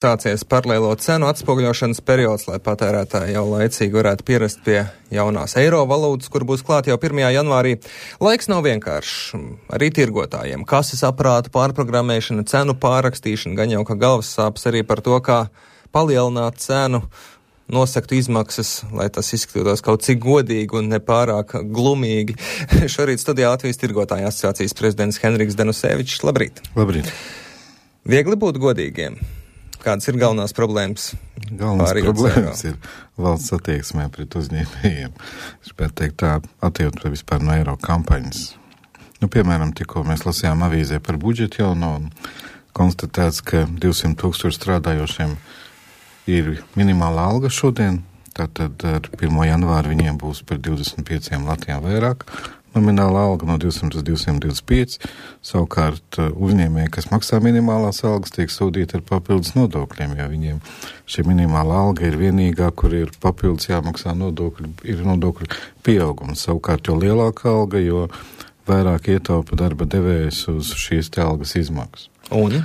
Sācies paralēlo cenu atspoguļošanas periods, lai patērētāji jau laicīgi varētu pierast pie jaunās eiro valūtas, kur būs klāt jau 1. janvārī. Laiks nav vienkāršs. Arī tirgotājiem kases aparātu pārprogrammēšana, cenu pārrakstīšana, gan jau ka galvas sāpes arī par to, kā palielināt cenu, nosakt izmaksas, lai tas izskatītos kaut cik godīgi un nepārāk glumīgi. Šorīt studijā Latvijas tirgotāju asociācijas prezidents Henriks Denusevičs. Labrīt! Labrīt! Viegli būt godīgiem. Kādas ir galvenās problēmas? Galvenās problēmas ir valsts attieksmē pret uzņēmējiem. Es gribētu teikt tā attieksme vispār no eiro kampaņas. Piemēram, tikko mēs lasījām avīzē par budžetu jauno un konstatēts, ka 200,000 strādājošiem ir minimālā alga šodien. Tātad ar 1. janvāru viņiem būs par 25 latiem vairāk. Nomināla alga no 200 uz 225, savukārt uzņēmēji, kas maksā minimālās algas, tiek sodīti ar papildus nodokļiem, jo viņiem šī minimāla alga ir vienīgā, kur ir papildus jāmaksā nodokļi, ir nodokļu pieaugums. Savukārt, jo lielāka alga, jo vairāk ietaupa darba devējs uz šīs te algas izmaksas. Un?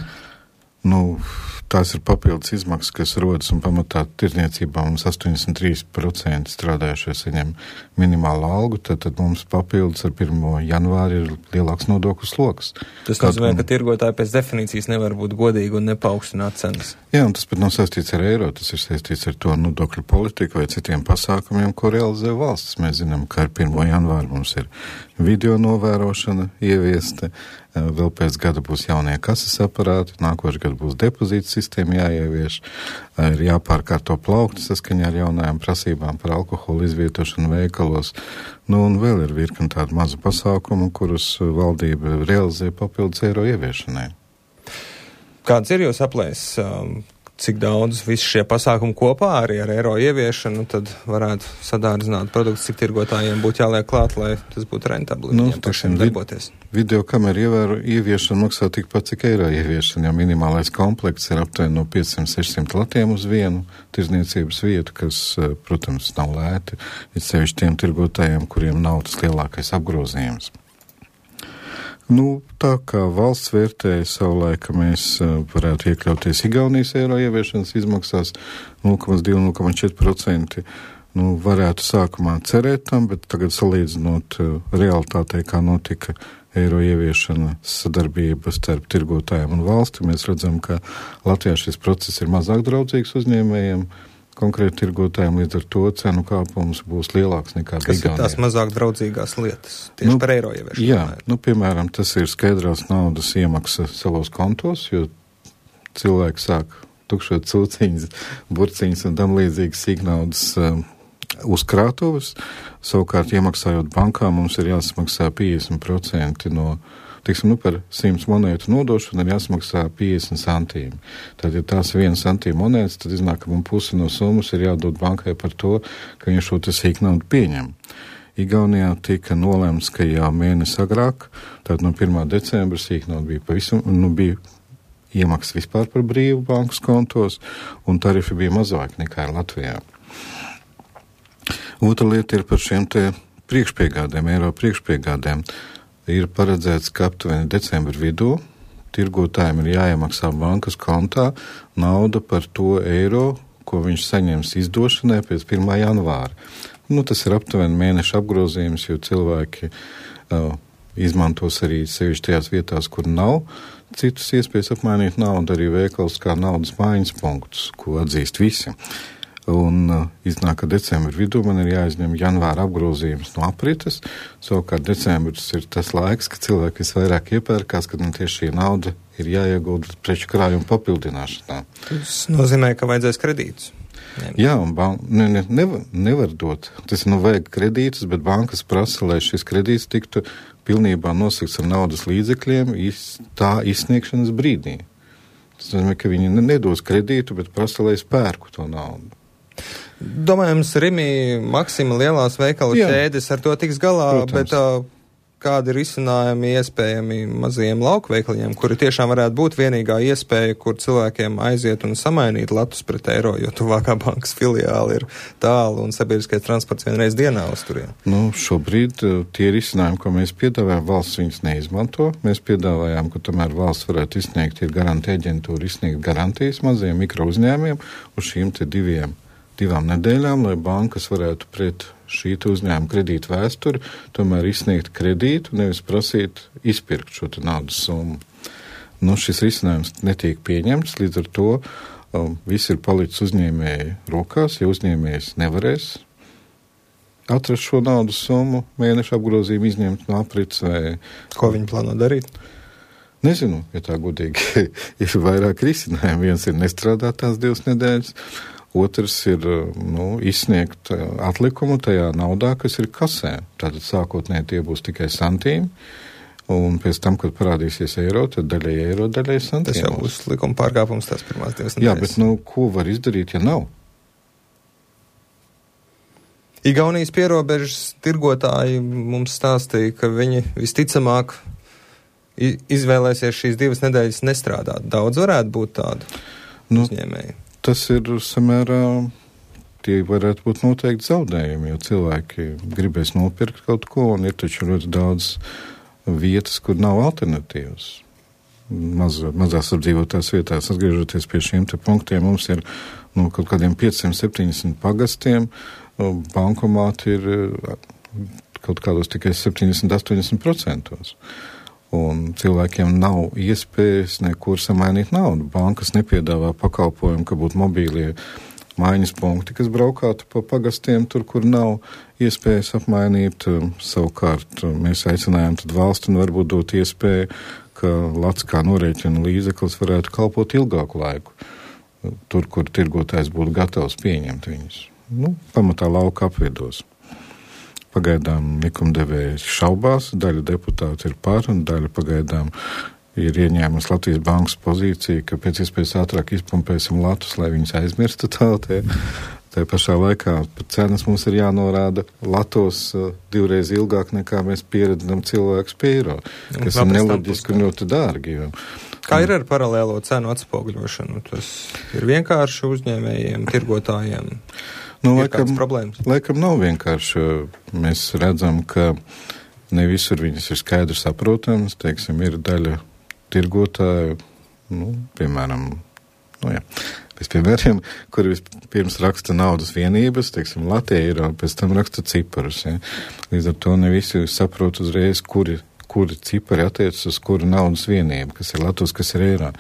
Tās ir papildus izmaksas, kas rodas un pamatā tirdzniecībā mums 83% strādājušie saņem minimālu algu, tad mums papildus ar 1. janvāri ir lielāks nodokļu sloks. Tas nozīmē, ka tirgotāji pēc definīcijas nevar būt godīgi un nepaukstināt cenas. Jā, un tas pat nav saistīts ar eiro, tas ir saistīts ar to nodokļu politiku vai citiem pasākumiem, ko realizē valsts. Mēs zinām, ka ar 1. janvāru mums ir video novērošana ieviesta, vēl pēc gada būs jaunie kases aparāti, nākošais gadu būs depozīta sistēma jāievieš, ir jāpārkārto plaukti saskaņā ar jaunajām prasībām par alkoholu izvietošanu veikalos, un vēl ir virkni tādu mazu pasākumu, kurus valdība realizē papildus eiro ieviešanai. Kāds ir jūs aplēs? Cik daudz visi šie pasākumi kopā arī ar eiro ieviešanu, tad varētu sadārdzināt produktus, cik tirgotājiem būtu jāliek klāt, lai tas būtu rentabli viņiem pašiem darboties? Video kameru ieviešana maksā tikpat, cik eiro ieviešana, jo minimālais komplekts ir aptuveni no 500-600 latiem uz vienu tirdzniecības vietu, kas, protams, nav lēti, ir sevišķi tiem tirgotājiem, kuriem nav tas lielākais apgrozījums. Tā kā valsts vērtēja savulaik, ka mēs varētu iekļauties Igaunijas eiro ieviešanas izmaksās 0,2–0,4%, varētu sākumā cerēt tam, bet tagad salīdzinot realitātei, kā notika eiro ieviešana sadarbība starp tirgotājiem un valsti, mēs redzam, ka Latvijā šis process ir mazāk draudzīgs uzņēmējiem, konkrēti tirgotājiem, līdz ar to cenu kāpums būs lielāks nekā Igaunijā. Kas ir tās mazāk draudzīgās lietas tieši par eiro ieviešanu? Jā, piemēram, tas ir skaidrās naudas iemaksa savos kontos, jo cilvēki sāk tukšot cūciņas, burciņas un tam līdzīgas sīknaudas uzkrātuves. Savukārt, iemaksājot bankā, mums ir jāsamaksā 50% no par 100 monētu nodošanu ir jāsamaksā 50 centīmi. Tad, ja tās ir 1 centīma monētas, tad iznāk, ka mums pusi no summas ir jādod bankai par to, ka viņš šo sīknaudu pieņem. Igaunijā tika nolemts, ka jau mēnesi agrāk, tad no 1. decembra sīknauda bija pavisam, bija iemaksas vispār par brīvu bankas kontos, un tarifi bija mazāk nekā Latvijā. Otra lieta ir par šiem te priekšpiegādēm, eiro priekšpiegādēm. Ir paredzēts, ka aptuveni decembra vidū tirgotājiem ir jāiemaksā bankas kontā nauda par to eiro, ko viņš saņems izdošanai pēc 1. janvāra. Tas ir aptuveni mēneša apgrozījums, jo cilvēki izmantos arī sevišķi tajās vietās, kur nav citas iespējas apmainīt naudu, arī veikals kā naudas maiņas punktus, ko atzīst visi. Un iznāk, ka decembra vidū man ir jāizņem janvāra apgrozījums no aprites. Savukārt decembris ir tas laiks, kad cilvēki visvairāk iepērkās, kad man tieši šī nauda ir jāiegulda preču krājuma papildināšanā. Tas nozīmē, ka vajadzēs kredītus. Jā, un nevar dot. Tas vajag kredītus, bet bankas prasa, lai šis kredīts tiktu pilnībā nosakts ar naudas līdzekļiem tā izsniegšanas brīdī. Tas nozīmē, ka viņi nedos kredītu, bet prasa, lai es pērku to naudu. Domājams, Rimi, Maksima lielās veikalu ķēdes ar to tiks galā, protams. Bet kādi risinājumi iespējami mazajiem laukveikliņiem, kuri tiešām varētu būt vienīgā iespēja, kur cilvēkiem aiziet un samainīt latus pret eiro, jo tuvākā bankas filiāli ir tālu un sabiedriskais transports vienreiz dienā uz turien? Nu, šobrīd tie risinājumi, ko mēs piedāvājam, valsts viņus neizmanto. Mēs piedāvājām, ka tomēr valsts varētu izsniegt, ir garantija aģentūra izsniegt garantijas mazajiem mikro uzņēmiem uz šīm te divām nedēļām, lai bankas varētu pret šī uzņēmuma kredīta vēsturi tomēr izsniegt kredītu, nevis prasīt izpirkt šo naudas summu. Nu, šis risinājums netiek pieņemts, līdz ar to viss ir palicis uzņēmēju rokās, ja uzņēmējs nevarēs atrast šo naudas summu, mēneša apgrozījumu izņemt no aprits vai... Ko viņi plāno darīt? Nezinu, ja tā godīgi ir vairāk risinājumu. Viens ir nestrādāt tās 2 nedēļas, otrs ir izsniegt atlikumu tajā naudā, kas ir kasē. Tātad sākotnēji tie būs tikai santīmi, un pēc tam, kad parādīsies eiro, tad daļai eiro, daļai santīmos. Tas jau būs likuma pārkāpums tās pirmās 2 nedēļas. Jā, bet ko var izdarīt, ja nav? Igaunijas pierobežas tirgotāji mums stāstīja, ka viņi visticamāk izvēlēsies šīs 2 nedēļas nestrādāt. Daudz varētu būt tādu uzņēmēju. Tas ir samērā, tie varētu būt noteikti zaudējumi, jo cilvēki gribēs nopirkt kaut ko, un ir taču ļoti daudz vietas, kur nav alternatīvas. Mazās apdzīvotās vietās, atgriežoties pie šiem te punktiem, mums ir kaut kādiem 570 pagastiem, bankomāti ir kaut kādos tikai 70-80%. Un cilvēkiem nav iespējas nekur samainīt naudu. Bankas nepiedāvā pakalpojumu, ka būtu mobīlie maiņas punkti, kas braukātu pa pagastiem tur, kur nav iespējas apmainīt. Savukārt mēs aicinājām tad valstu un varbūt dot iespēju, ka lats kā norēķina līdzeklis varētu kalpot ilgāku laiku. Tur, kur tirgotājs būtu gatavs pieņemt viņus. Pamatā lauka apvidos. Pagaidām likumdevēji šaubās, daļa deputāti ir par, un daļa pagaidām ir ieņēmusi Latvijas bankas pozīciju, ka pēc iespējas ātrāk izpumpēsim latus, lai viņus aizmirstu tāltie. Tā pašā laikā cenas mums ir jānorāda latos 2 reizes ilgāk nekā mēs pieredzam cilvēkus pie eiro, kas ir neloģiski un ļoti dārgi. Kā ir ar paralēlo cenu atspoguļošanu? Tas ir vienkārši uzņēmējiem, tirgotājiem? Laikam nav vienkārši. Mēs redzam, ka ne visur viņas ir skaidri saprotams. Teiksim, ir daļa tirgotāju, piemēram, bez piemēriem, kuri vispirms raksta naudas vienības, teiksim, Latvija eiro, pēc tam raksta ciparus. Ja? Līdz ar to ne visi saprot uzreiz, kuri cipari attiecas uz kuru naudas vienību, kas ir Latvijas, kas ir eiro.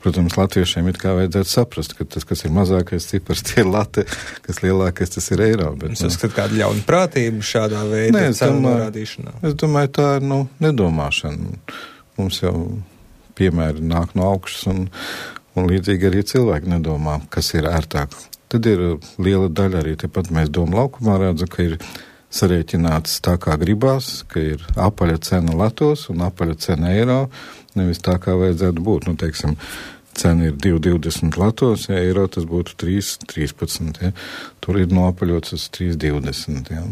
Protams, latviešiem it kā vajadzētu saprast, ka tas, kas ir mazākais cipars, tie ir lati, kas lielākais, tas ir eiro. Bet, es uzskatu kādu ļaunprātību šādā veidā cenu norādīšanā. Es domāju, tā ir nedomāšana. Mums jau piemēri nāk no augšas un līdzīgi arī cilvēki nedomā, kas ir ērtāk. Tad ir liela daļa arī, tepat mēs Doma laukumā redzam, ka ir sarēķināts tā, kā gribās, ka ir apaļa cena latos un apaļa cena eiro, nevis tā, kā vajadzētu būt. Teiksim, cena ir 2,20 latos, ja eiro tas būtu 3,13. Ja. Tur ir noapaļots uz 3,20. Ja.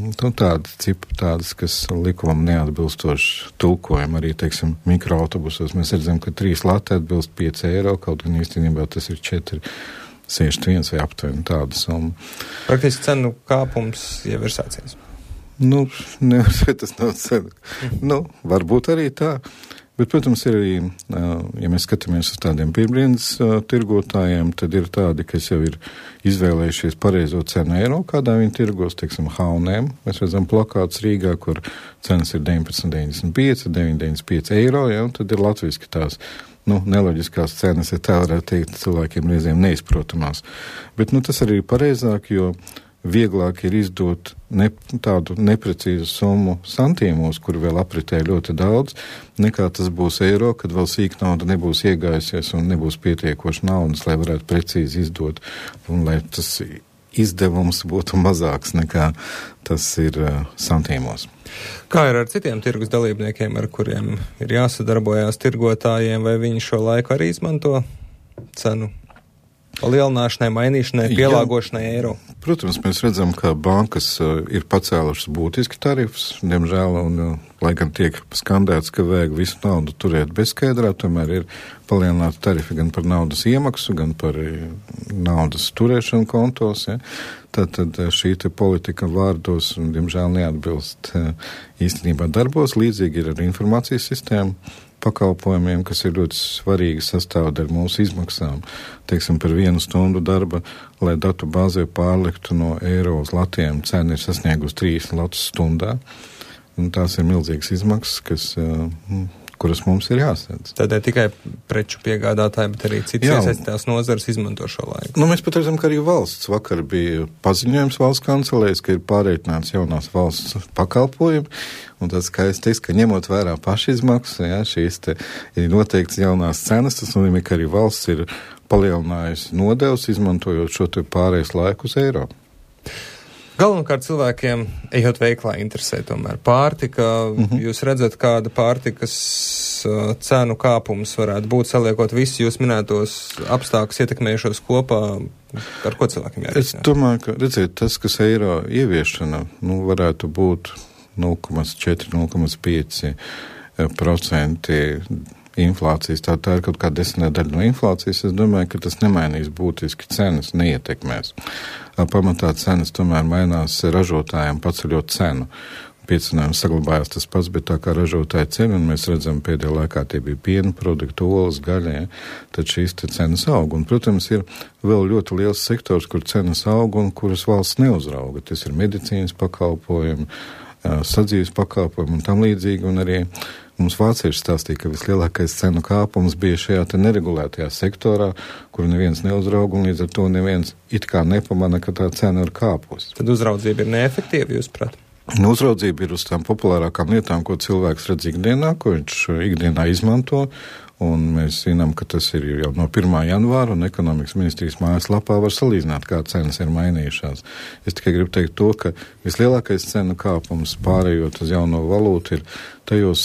Tādas, kas likumam neatbilstoši tulkojam, arī, teiksim, mikroautobusos. Mēs redzam, ka 3 lati atbilst 5 eiro, kaut gan īstenībā tas ir 4,61 vai aptuveni tāda summa. Praktiski cenu kāpums jau ir sācies. Nevar teikt, tas nav cena. Varbūt arī tā. Bet, protams, ir arī, ja mēs skatāmies uz tādiem pirmdienas tirgotājiem, tad ir tādi, kas jau ir izvēlējušies pareizo cenu eiro, kādā viņi tirgos, teiksim, H&M. Mēs redzam plakātus Rīgā, kur cenas ir 19,95, 9,95 eiro, ja, un tad ir latviski tās neloģiskās cenas, ja tā varētu teikt, cilvēkiem reizēm neizprotamās. Bet, tas arī ir pareizāk, jo vieglāk ir izdot tādu neprecīzu summu santīmos, kur vēl apritē ļoti daudz, nekā tas būs eiro, kad vēl sīk nauda nebūs iegājusies un nebūs pietiekoši naudas, lai varētu precīzi izdot, un lai tas izdevums būtu mazāks nekā tas ir santīmos. Kā ir ar citiem tirgus dalībniekiem, ar kuriem ir jāsadarbojās tirgotājiem, vai viņi šo laiku arī izmanto cenu palielināšanai, mainīšanai, pielāgošanai eiro? Protams, mēs redzam, ka bankas ir pacēlušas būtiski tarifus, diemžēl, un lai gan tiek skandēts, ka vajag visu naudu turēt bezskaidrā, tomēr ir palielināti tarifi gan par naudas iemaksu, gan par naudas turēšanu kontos. Ja? Tātad šī te politika vārdos, diemžēl, neatbilst īstenībā darbos. Līdzīgi ir ar informācijas sistēmu pakalpojumiem, kas ir ļoti svarīgi sastāvdaļa mūsu izmaksām. Teiksim, par 1 stundu darba, lai datu bāzē pārliktu no eiro uz latiem, cena ir sasniegusi 3 latus stundā. Un tās ir milzīgas izmaksas, kuras mums ir jāsēdz. Tad ne tikai preču piegādātāji, bet arī citas iesaistītās nozares izmanto šo laiku. Nu, mēs pat redzam, ka arī valsts vakar bija paziņojums valsts kancelēs, ka ir pārreikināts jaunās valsts pakalpojumi, un tas skaisti, ka ņemot vērā pašizmaksas, ja, šīs te ir noteikts jaunās cenas, tas nozīmē, ka arī valsts ir palielinājusi nodevs, izmantojot šo te pārējais laiku uz eiro. Galvenokārt cilvēkiem, ejot veiklā, interesē tomēr pārtika. Jūs redzat, kāda pārtikas cenu kāpums varētu būt, saliekot visus jūs minētos apstākļus ietekmējušos kopā, ar ko cilvēkiem jārēķinās? Es domāju, ka, redziet, tas, kas eiro ieviešana, varētu būt 0,4–0,5% inflācijas. Tā ir kaut kāda 10 daļa no inflācijas. Es domāju, ka tas nemainīs būtiski cenas, neietekmēs. Pamatā cenas tomēr mainās ražotājiem paceļot cenu. Piecinājums saglabājās tas pats, bet tā kā ražotāja cena, un mēs redzam pēdējā laikā tie bija piena produkti, olas, gaļa, tad šīs te cenas aug. Un, protams, ir vēl ļoti liels sektors, kur cenas aug un kuras valsts neuzrauga. Tas ir medicīnas pakalpojumi, sadzīves pakalpojumi un tam līdzīgi, un arī mums vācieši stāstīja, ka vislielākais cenu kāpums bija šajā te neregulētajā sektorā, kur neviens neuzrauga, un līdz ar to neviens it kā nepamana, ka tā cena ir kāpusi. Tad uzraudzība ir neefektīva, jūs prāt? Uzraudzība ir uz tām populārākām lietām, ko cilvēks redz ikdienā, ko viņš ikdienā izmanto, un mēs zinām, ka tas ir jau no 1. janvāra, un ekonomikas ministrijas mājaslapā var salīdzināt, kā cenas ir mainījušās. Es tikai gribu teikt to, ka vislielākais cenu kāpums pārējot uz jauno valūtu ir tajos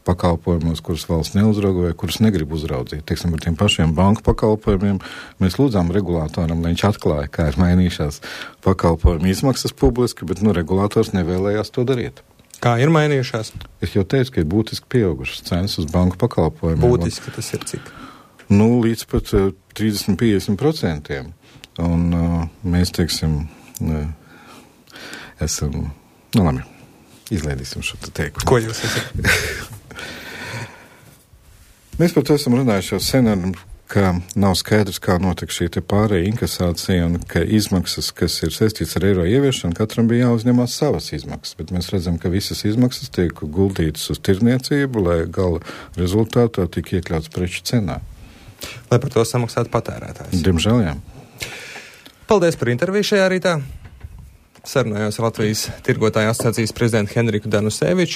pakalpojumos, kurus valsts neuzrauga vai kurus negrib uzraudzīt. Teiksim, par tiem pašiem banku pakalpojumiem mēs lūdzām regulātoram, lai viņš atklāja, kā ir mainījušās pakalpojumu izmaksas publiski, bet regulātors nevēlējās to darīt. Kā ir mainījušās? Es jau teicu, ka ir būtiski pieaugušas cenas uz banku pakalpojumiem. Būtiski tas ir cik? Līdz pat 30–50%. Un mēs, teiksim, esam, labi, izlaidīsim šo te teikumu. Ko jūs esat? Mēs par to esam runājuši jau sen, ka nav skaidrs, kā notiek šī te pārēja inkasācija un ka izmaksas, kas ir saistīts ar eiro ieviešanu, katram bija jāuzņemās savas izmaksas, bet mēs redzam, ka visas izmaksas tiek guldītas uz tirniecību, lai gala rezultātā tik iekļauts preču cenā. Lai par to samaksātu patērētājs. Diemžēl, jā. Paldies par interviju šajā rītā. Sarunājos Latvijas tirgotāju asociācijas prezidentu Henriku Danuseviču.